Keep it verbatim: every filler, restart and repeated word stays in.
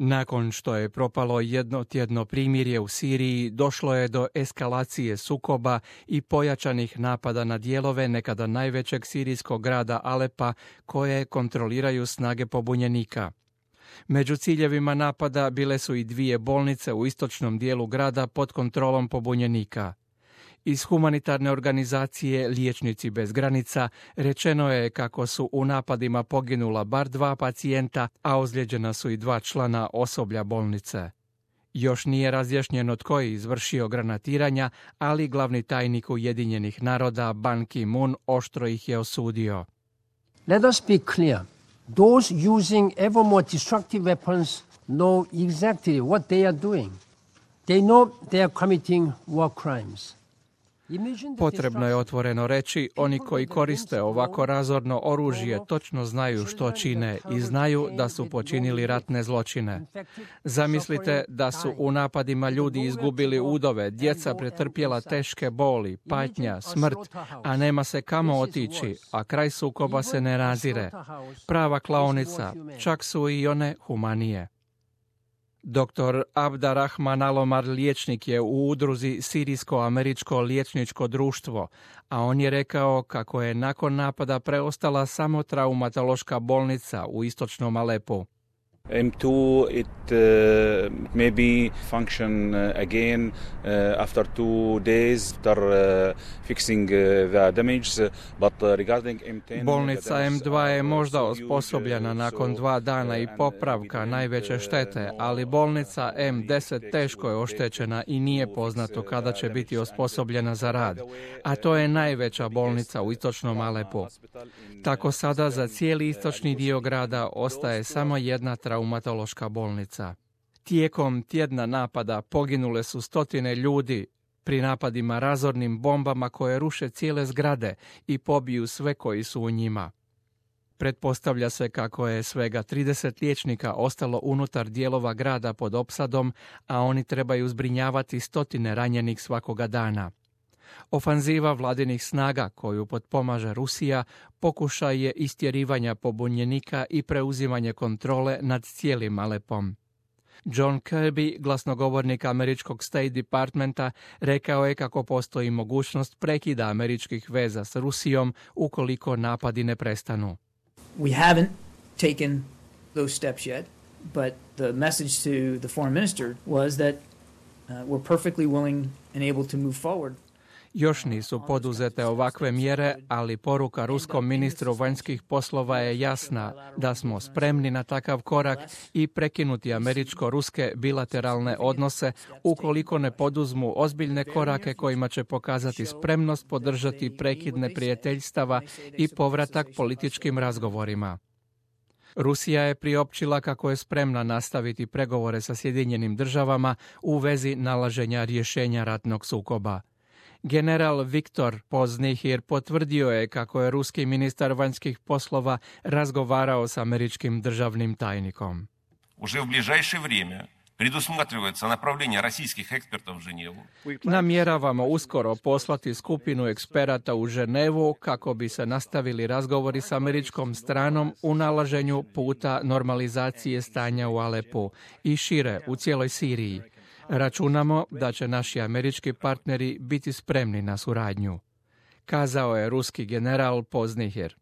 Nakon što je propalo jednotjedno primirje u Siriji, došlo je do eskalacije sukoba i pojačanih napada na dijelove nekada najvećeg sirijskog grada Alepa koje kontroliraju snage pobunjenika. Među ciljevima napada bile su i dvije bolnice u istočnom dijelu grada pod kontrolom pobunjenika. Iz humanitarne organizacije Liječnici bez granica rečeno je kako su u napadima poginula bar dva pacijenta, a ozlijeđena su i dva člana osoblja bolnice. Još nije razjašnjeno tko je izvršio granatiranja, ali glavni tajnik Ujedinjenih naroda Ban Ki-moon oštro ih je osudio. Let us be clear. Those using ever more destructive weapons know exactly what they are doing. They know they are committing war crimes. Potrebno je otvoreno reći, oni koji koriste ovako razorno oružje točno znaju što čine i znaju da su počinili ratne zločine. Zamislite da su u napadima ljudi izgubili udove, djeca pretrpjela teške boli, patnja, smrt, a nema se kamo otići, a kraj sukoba se ne razire. Prava klaonica, čak su i one humanije. doktor Abdarrahman Alomar liječnik je u udruzi Sirijsko-američko liječničko društvo, a on je rekao kako je nakon napada preostala samo traumatološka bolnica u istočnom Alepu. M two, it uh, maybe function uh, again uh, after two days after uh, fixing uh, the damage, but uh, regarding M ten... Bolnica M dva je možda osposobljena nakon dva dana i popravka najveće štete, ali bolnica M deset teško je oštećena i nije poznato kada će biti osposobljena za rad, a to je najveća bolnica u istočnom Alepu. Tako sada za cijeli istočni dio grada ostaje samo jedna traumatološka bolnica. Tijekom tjedna napada poginule su stotine ljudi pri napadima razornim bombama koje ruše cijele zgrade i pobiju sve koji su u njima. Pretpostavlja se kako je svega trideset liječnika ostalo unutar dijelova grada pod opsadom, a oni trebaju zbrinjavati stotine ranjenih svakoga dana. Ofanziva vladinih snaga koju potpomaže Rusija pokušaj je istjerivanja pobunjenika i preuzimanje kontrole nad cijelim Alepom. John Kirby, glasnogovornik američkog State Departmenta, rekao je kako postoji mogućnost prekida američkih veza s Rusijom ukoliko napadi ne prestanu. We haven't taken those steps yet, but the message to the foreign minister was that uh, we're perfectly willing and able to move forward. Još nisu poduzete ovakve mjere, ali poruka ruskom ministru vanjskih poslova je jasna da smo spremni na takav korak i prekinuti američko-ruske bilateralne odnose ukoliko ne poduzmu ozbiljne korake kojima će pokazati spremnost podržati prekid neprijateljstava i povratak političkim razgovorima. Rusija je priopćila kako je spremna nastaviti pregovore sa Sjedinjenim državama u vezi nalaženja rješenja ratnog sukoba. General Viktor Poznihir potvrdio je kako je ruski ministar vanjskih poslova razgovarao s američkim državnim tajnikom. Уже в ближайшее время предусматривается направление российских экспертов в Женеву. Namjeravamo uskoro poslati skupinu eksperata u Ženevu kako bi se nastavili razgovori s američkom stranom u nalaženju puta normalizacije stanja u Alepu i šire u cijeloj Siriji. Računamo da će naši američki partneri biti spremni na suradnju, kazao je ruski general Poznihir.